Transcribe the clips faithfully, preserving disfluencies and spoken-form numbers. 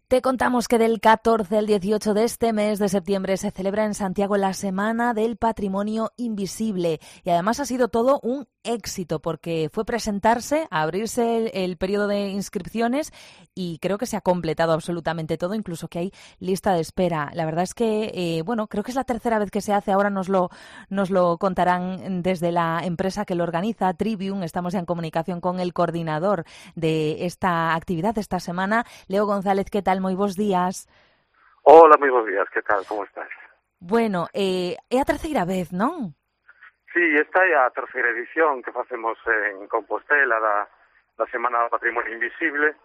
Te contamos que del catorce al dieciocho de este mes de septiembre se celebra en Santiago la Semana del Patrimonio Invisible y además ha sido todo un éxito porque fue presentarse, a abrirse el, el periodo de inscripciones y creo que se ha completado absolutamente todo, incluso que hay lista de espera. La verdad es que, eh, bueno, creo que es la tercera vez que se hace, ahora nos lo, nos lo contarán desde la empresa que lo organiza, Trivium. Estamos en comunicación con el coordinador de esta actividad de esta semana, Leo González. ¿Qué tal? Moi bons días. Hola, moi bons días, que tal, como estás? Bueno, eh, é a terceira vez, non? Sí, esta é a terceira edición que facemos en Compostela da, da Semana do Patrimonio Invisible.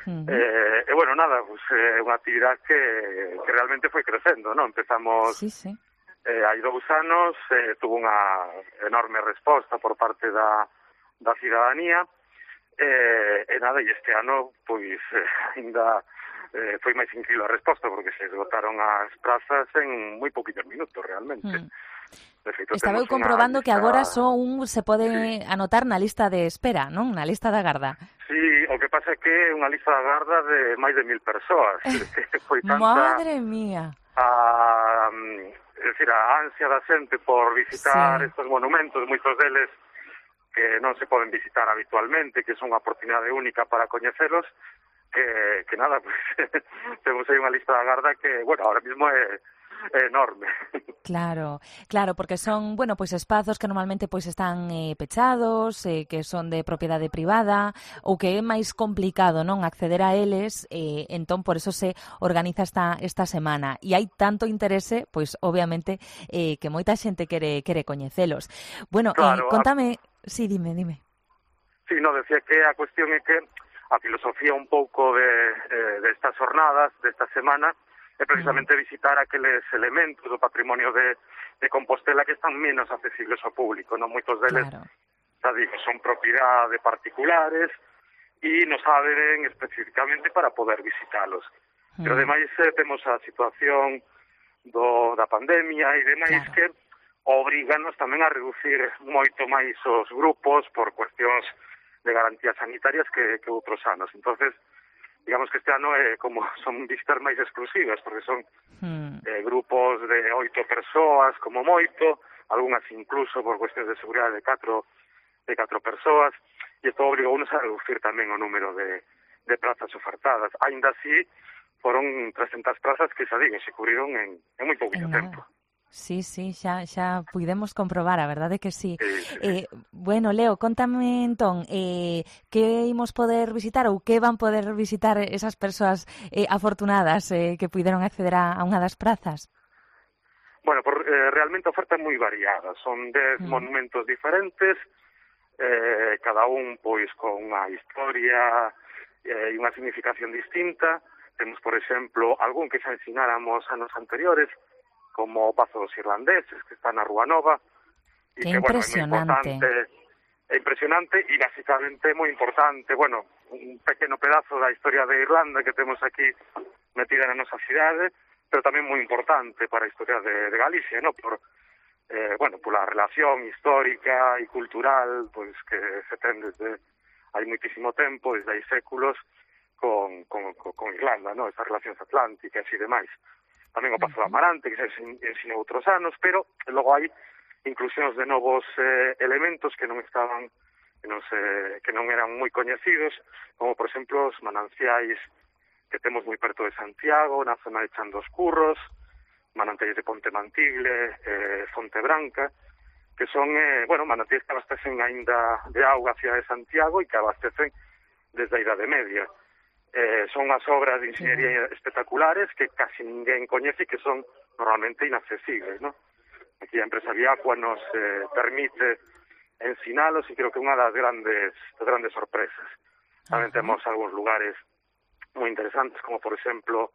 Uh-huh. eh, e, bueno, nada, pues, é eh, unha actividade que, que realmente foi crecendo, non? Empezamos sí, sí. Eh, hai dous anos, eh, tuvo unha enorme resposta por parte da, da cidadanía, eh, e nada, e este ano, pois, eh, ainda... Eh, foi máis incrível a resposta porque se esgotaron as prazas en moi poquitos minutos realmente. Hmm. De feito, estaba eu comprobando lista... que agora só un se pode sí. anotar na lista de espera, non? Na lista da garda. Sí, o que pasa é que é unha lista da garda de máis de mil persoas. Foi tanta... Madre mía! A, é dicir, a ansia da xente por visitar sí. estes monumentos, moitos deles que non se poden visitar habitualmente, que son unha oportunidade única para coñecelos, que, que nada, pues temos aí unha lista da garda que, bueno, ahora mismo é, é enorme. Claro, claro, porque son, bueno, pois espazos que normalmente pois están eh, pechados, eh, que son de propiedade privada ou que é máis complicado, non, acceder a eles, eh, entón por eso se organiza esta esta semana e hai tanto interese, pois obviamente eh, que moita xente quere quere coñecelos. Bueno, claro, eh, contame, a... sí, dime, dime. Sí, no, decía que a cuestión é que a filosofía un pouco de, eh, de estas jornadas, desta semana, é precisamente visitar aqueles elementos do patrimonio de, de Compostela que están menos accesibles ao público, non? Moitos deles, claro. xa digo, son propiedade de particulares e nos abren especificamente para poder visitalos. Mm. Pero ademais eh, temos a situación do, da pandemia e demais claro. que obriganos tamén a reducir moito máis os grupos por cuestións de garantías sanitarias que, que outros anos. Entonces, digamos que este ano é como son visitas máis exclusivas, porque son hmm. eh, grupos de oito persoas, como moito, algunhas incluso por cuestións de seguridade de catro, de catro persoas, e isto obriga unos a reducir tamén o número de, de plazas ofertadas. Ainda así, foron trescentas plazas que, xa digo, se cubriron en, en moi pouquito tempo. Sí, sí, xa, xa puidemos comprobar, a verdade que sí. sí, sí. Eh, bueno, Leo, contame entón, eh, que imos poder visitar ou que van poder visitar esas persoas eh, afortunadas eh, que puideron acceder a, a unha das prazas? Bueno, por, eh, realmente a oferta é moi variada, son dez mm. monumentos diferentes, eh, cada un pois con unha historia e eh, unha significación distinta. Temos, por exemplo, algún que xa ensináramos anos anteriores, como o Pazo dos Irlandeses, que está na Rúa Nova, e que, bueno, é moi importante, é impresionante e basicamente moi importante, bueno, un pequeno pedazo da historia de Irlanda que temos aquí metida na nosa cidade, pero tamén moi importante para a historia de, de Galicia, ¿no? Por, eh, bueno, por a relación histórica e cultural, pois que se ten desde hai moitísimo tempo, desde hai séculos, con, con, con, con Irlanda, ¿no? Esas relacións atlánticas e demais. Tamén o Pazo do Amarante, que se ensinou outros anos, pero logo hai inclusións de novos eh, elementos que non estaban, que non, se, que non eran moi coñecidos, como, por exemplo, os mananciais que temos moi perto de Santiago, na zona de Chan dos Curros, mananciais de Ponte Mantible, eh, Fonte Branca, que son, eh, bueno, mananciais que abastecen aínda de auga a cidade de Santiago e que abastecen desde a Idade Media. Eh, son as obras de ingeniería sí. espectaculares que casi ninguén coñece e que son normalmente inaccesibles, ¿no? Aquí a empresa Viacua nos eh, permite ensinalos e creo que é unha das grandes, das grandes sorpresas. Tamén uh-huh. temos algúns lugares moi interesantes, como por exemplo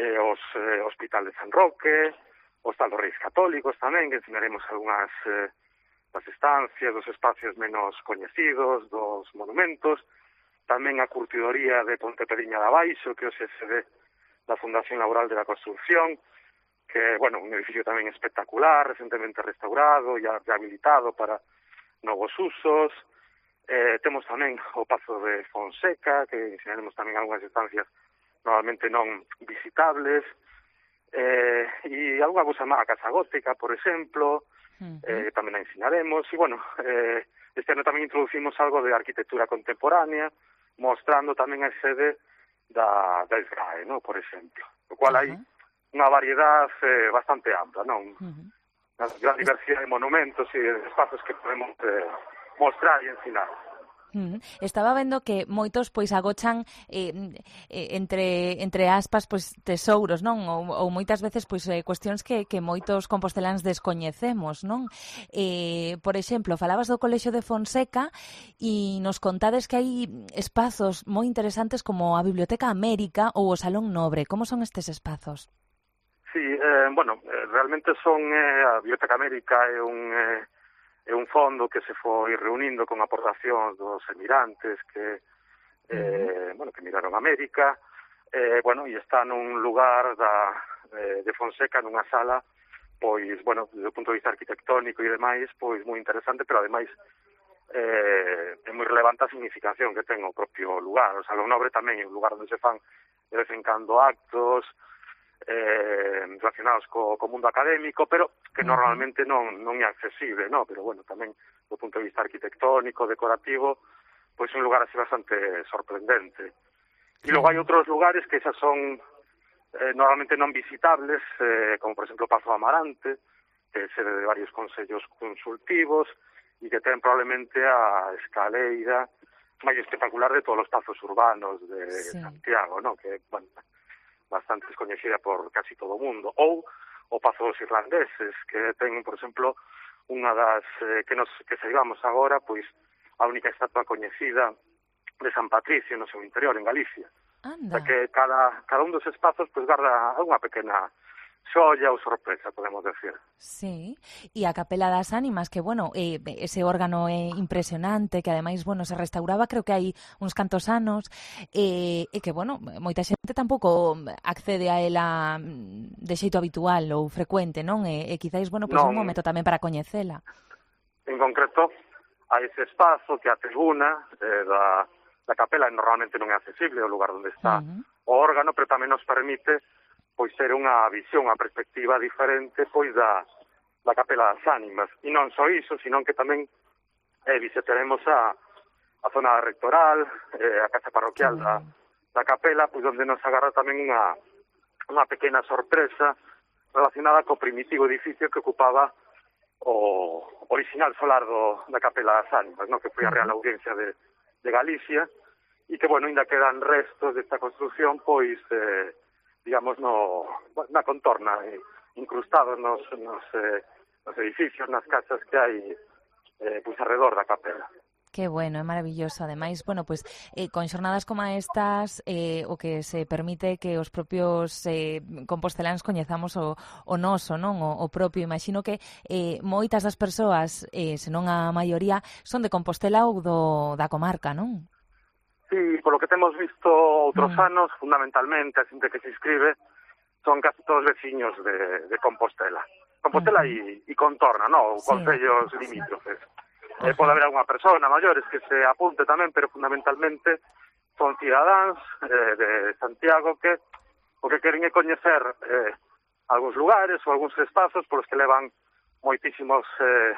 eh, os eh, Hospital de San Roque, o Hostal dos Reis Católicos tamén, que ensinaremos algunhas eh, das estancias, dos espacios menos coñecidos, dos monumentos. Tamén a curtidoría de Ponte Pediña de Abaixo, que é o C S D da Fundación Laboral de la Construcción, que, bueno, un edificio tamén espectacular, recentemente restaurado e rehabilitado para novos usos. Eh, temos tamén o Pazo de Fonseca, que ensinaremos tamén algunhas estancias normalmente non visitables, eh, e algunha cousa má, a Casa Gótica, por exemplo, uh-huh. eh, tamén a ensinaremos, e, bueno, eh, este ano tamén introducimos algo de arquitectura contemporánea, mostrando tamén a sede da, da S G A E, no? Por exemplo. O cual uh-huh. hai unha variedade eh, bastante ampla, non? Uh-huh. Unha gran diversidade de monumentos e de espazos que podemos eh, mostrar e ensinar. Uh-huh. Estaba vendo que moitos pois agochan eh, entre entre aspas pois tesouros, non? Ou, ou moitas veces pois eh, cuestións que, que moitos composteláns descoñecemos, non? Eh, por exemplo, falabas do Colexio de Fonseca e nos contades que hai espazos moi interesantes como a Biblioteca América ou o Salón Nobre. Como son estes espazos? Sí, eh, bueno, realmente son eh, a Biblioteca América é un eh, é un fondo que se foi reunindo con aportacións dos emigrantes que eh, bueno, que miraron América, eh, bueno, e está nun lugar da, eh, de Fonseca, nunha sala, pois, bueno, desde o punto de vista arquitectónico e demais, pois moi interesante, pero ademais eh, é moi relevante a significación que ten o propio lugar. O Salón Nobre tamén é un lugar onde se fan de vez en cando actos eh, relacionados co, co mundo académico, pero que normalmente non, non é accesible, no? Pero bueno, tamén do punto de vista arquitectónico, decorativo, pois é un lugar así bastante sorprendente. E logo hai outros lugares que xa son eh, normalmente non visitables, eh, como por exemplo Pazo Amarante, que é sede de varios consellos consultivos e que ten probablemente a escaleira máis espectacular de todos os pazos urbanos de sí. Santiago, no? Que, bueno, bastante descoñecida por casi todo o mundo. Ou o Pazo dos Irlandeses, que ten, por exemplo, unha das eh, que nos que saibamos agora, pois a única estatua coñecida de San Patricio no seu interior, en Galicia. Anda. O sea que cada, cada un dos espazos pois garda unha pequena xoia ou sorpresa, podemos decir. Sí, e a Capela das Ánimas, que, bueno, eh, ese órgano é impresionante, que ademais, bueno, se restauraba creo que hai uns cantos anos, eh, e que, bueno, moita xente tampouco accede a ela de xeito habitual ou frecuente, non? E, e quizáis, bueno, pois pues un momento tamén para coñecela. En concreto, a ese espazo que a tribuna eh, da, da capela normalmente non é accesible, o lugar onde está uh-huh. o órgano, pero tamén nos permite pois ser unha visión, unha perspectiva diferente pois da, da Capela das Ánimas. E non só iso, sino que tamén eh, visitaremos a, a zona rectoral, eh, a casa parroquial da, da capela, pois onde nos agarra tamén unha, unha pequena sorpresa relacionada co primitivo edificio que ocupaba o original solar do, da Capela das Ánimas, no? Que foi a Real Audiencia de, de Galicia, e que, bueno, ainda quedan restos desta construción, pois, eh, digamos, no, na contorna, incrustados nos, nos, eh, nos edificios, nas casas que hai eh, pois alrededor da capela. Que bueno, é maravilloso. Ademais, bueno, pues eh, con xornadas como estas, eh, o que se permite que os propios eh, composteláns coñezamos o, o noso, non? O, o propio. Imagino que eh, moitas das persoas, eh, senón a maioría, son de Compostela ou do, da comarca, non? Sí, polo que temos visto outros mm. anos, fundamentalmente, a xente que se inscribe, son casi todos veciños de, de Compostela. Compostela e mm. contorna, no? Sí. Concellos limítrofes. Sí. Eh, pode haber alguna persona maiores que se apunte tamén, pero fundamentalmente son cidadáns eh, de Santiago que o que queren é coñecer eh, algúns lugares ou algúns espazos polos que levan moitísimos eh,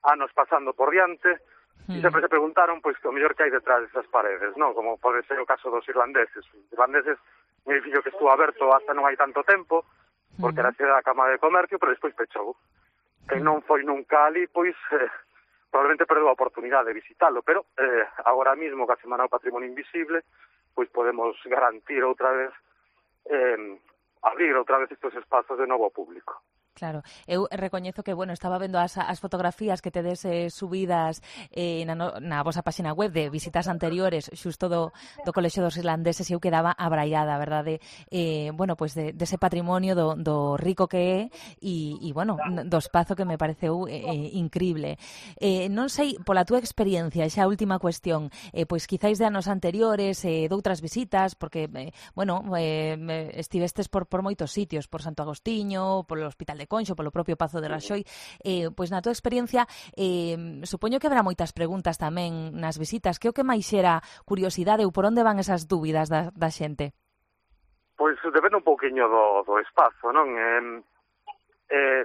anos pasando por diante. E sempre se preguntaron, pois, que o mellor que hai detrás desas paredes, non? Como pode ser o caso dos irlandeses. Os irlandeses, un edificio que estuvo aberto hasta non hai tanto tempo, porque era sede da Cámara de Comercio, pero despois pechou. Quen non foi nunca ali, pois, eh, probablemente perdeu a oportunidade de visitarlo, pero eh, agora mismo, que a Semana do Patrimonio Invisible, pois podemos garantir outra vez, eh, abrir outra vez estes espazos de novo ao público. Claro, eu recoñezo que, bueno, estaba vendo as, as fotografías que tedes eh, subidas eh, na, no, na vosa páxina web de visitas anteriores xusto do, do Colexio dos Irlandeses e eu quedaba abraiada, verdade? Eh, bueno, pois pues de, dese patrimonio do, do rico que é e, e bueno, do espazo que me pareceu eh, increíble. Eh, non sei, pola túa experiencia, xa última cuestión, eh, pois quizáis de anos anteriores, eh, doutras visitas, porque, eh, bueno, eh, estivestes por, por moitos sitios, por Santo Agostiño, por o Hospital de de Conxo, polo propio Pazo de Raxoi, eh, pois na túa experiencia eh, supoño que haberá moitas preguntas tamén nas visitas. Que o que máis xera curiosidade ou por onde van esas dúbidas da, da xente? pois depende un pouquiño do, do espazo, non? Eh, eh,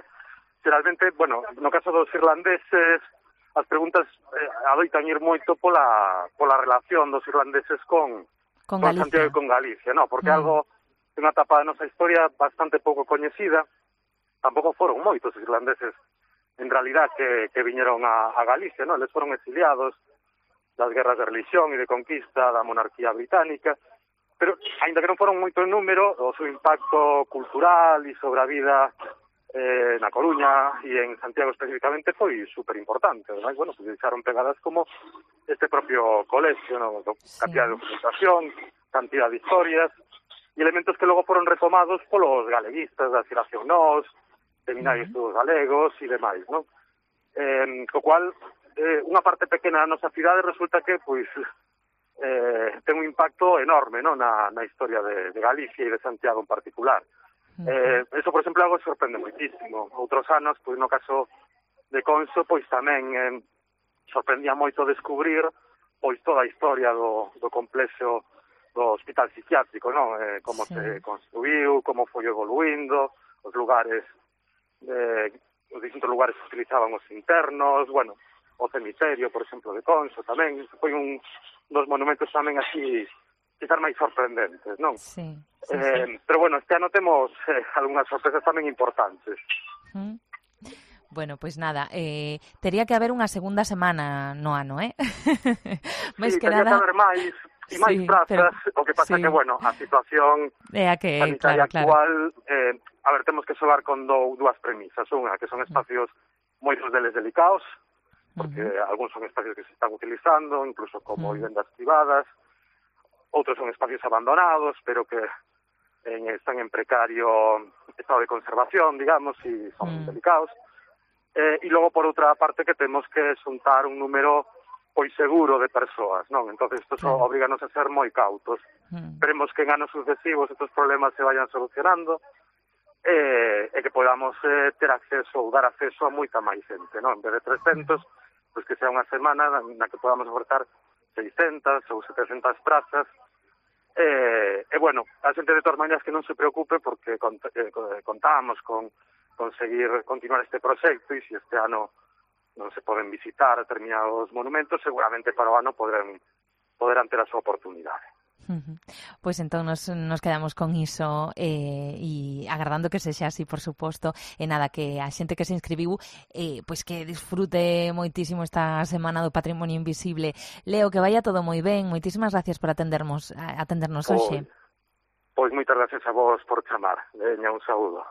geralmente, bueno, no caso dos irlandeses, as preguntas eh, adoitan ir moito pola, pola relación dos irlandeses con, con, con Santiago e con Galicia, non? Porque mm. algo de unha etapa da nosa historia bastante pouco coñecida, tampouco foron moitos os irlandeses en realidad que, que viñeron a, a Galicia, non? Eles foron exiliados das guerras de religión e de conquista da monarquía británica, pero, ainda que non foron moito en número, o seu impacto cultural e sobre a vida eh, na Coruña e en Santiago especificamente foi super importante. Ademais, bueno, pues deixaron pegadas como este propio colegio, ¿no? Cantidad sí. de documentación, cantidad de historias, e elementos que logo foron retomados polos galeguistas da Xeración Nós, seminarios uh-huh. todos galegos e demais, ¿no? Eh, co cual, eh, unha parte pequena da nosa cidade resulta que, pois, eh, ten un impacto enorme, ¿no? na, na historia de, de Galicia e de Santiago en particular. Eh, eso, por exemplo, algo sorprende moitísimo. Outros anos, pois no caso de Conso, pois tamén eh, sorprendía moito descubrir pois toda a historia do, do complexo do hospital psiquiátrico, non? Eh, como sí. se construiu, como foi evoluindo, os lugares, eh, os distintos lugares que utilizaban os internos, bueno, o cemiterio, por exemplo, de Conso tamén. Foi un dos monumentos tamén así quizás máis sorprendentes, non? Sí, sí, eh, sí. Pero bueno, este ano temos eh, algunhas sorpresas tamén importantes. Mm. Bueno, pois pues nada, eh, tería que haber unha segunda semana no ano, eh? Sí, que tería nada... que haber máis e máis sí, prazas, pero... o que pasa sí. que, bueno, a situación é a que, sanitaria claro, actual, claro. Eh, a ver, temos que xogar con do, dúas premisas. Unha, que son espacios mm. moitos deles delicados, porque uh-huh. algúns son espacios que se están utilizando, incluso como uh-huh. vivendas privadas, outros son espacios abandonados, pero que en, están en precario estado de conservación, digamos, e son mm. delicados. Eh, e logo, por outra parte, que temos que xuntar un número pois seguro de persoas, non? Entonces, isto mm. obriganos a ser moi cautos. Mm. Esperemos que en anos sucesivos estos problemas se vayan solucionando eh, e que podamos eh, ter acceso ou dar acceso a moita máis xente, non? En vez de trescentos, mm. pois que sea unha semana na que podamos ofertar seiscentas ou setecentas prazas. Eh, e, bueno, a xente de todas maneras que non se preocupe porque cont eh, contamos con conseguir continuar este proxecto e se este ano non se poden visitar determinados monumentos, seguramente para o ano poderán, poderán ter a súa oportunidade. Uh-huh. Pois entón nos, nos quedamos con iso eh, e agardando que sexa así, por suposto, e nada, que a xente que se inscribiu eh, pois que disfrute moitísimo esta semana do Patrimonio Invisible. Leo, que vaya todo moi ben, moitísimas gracias por atendernos atendernos hoxe. Pois, pois moitas gracias a vos por chamar. Veña, un saúdo.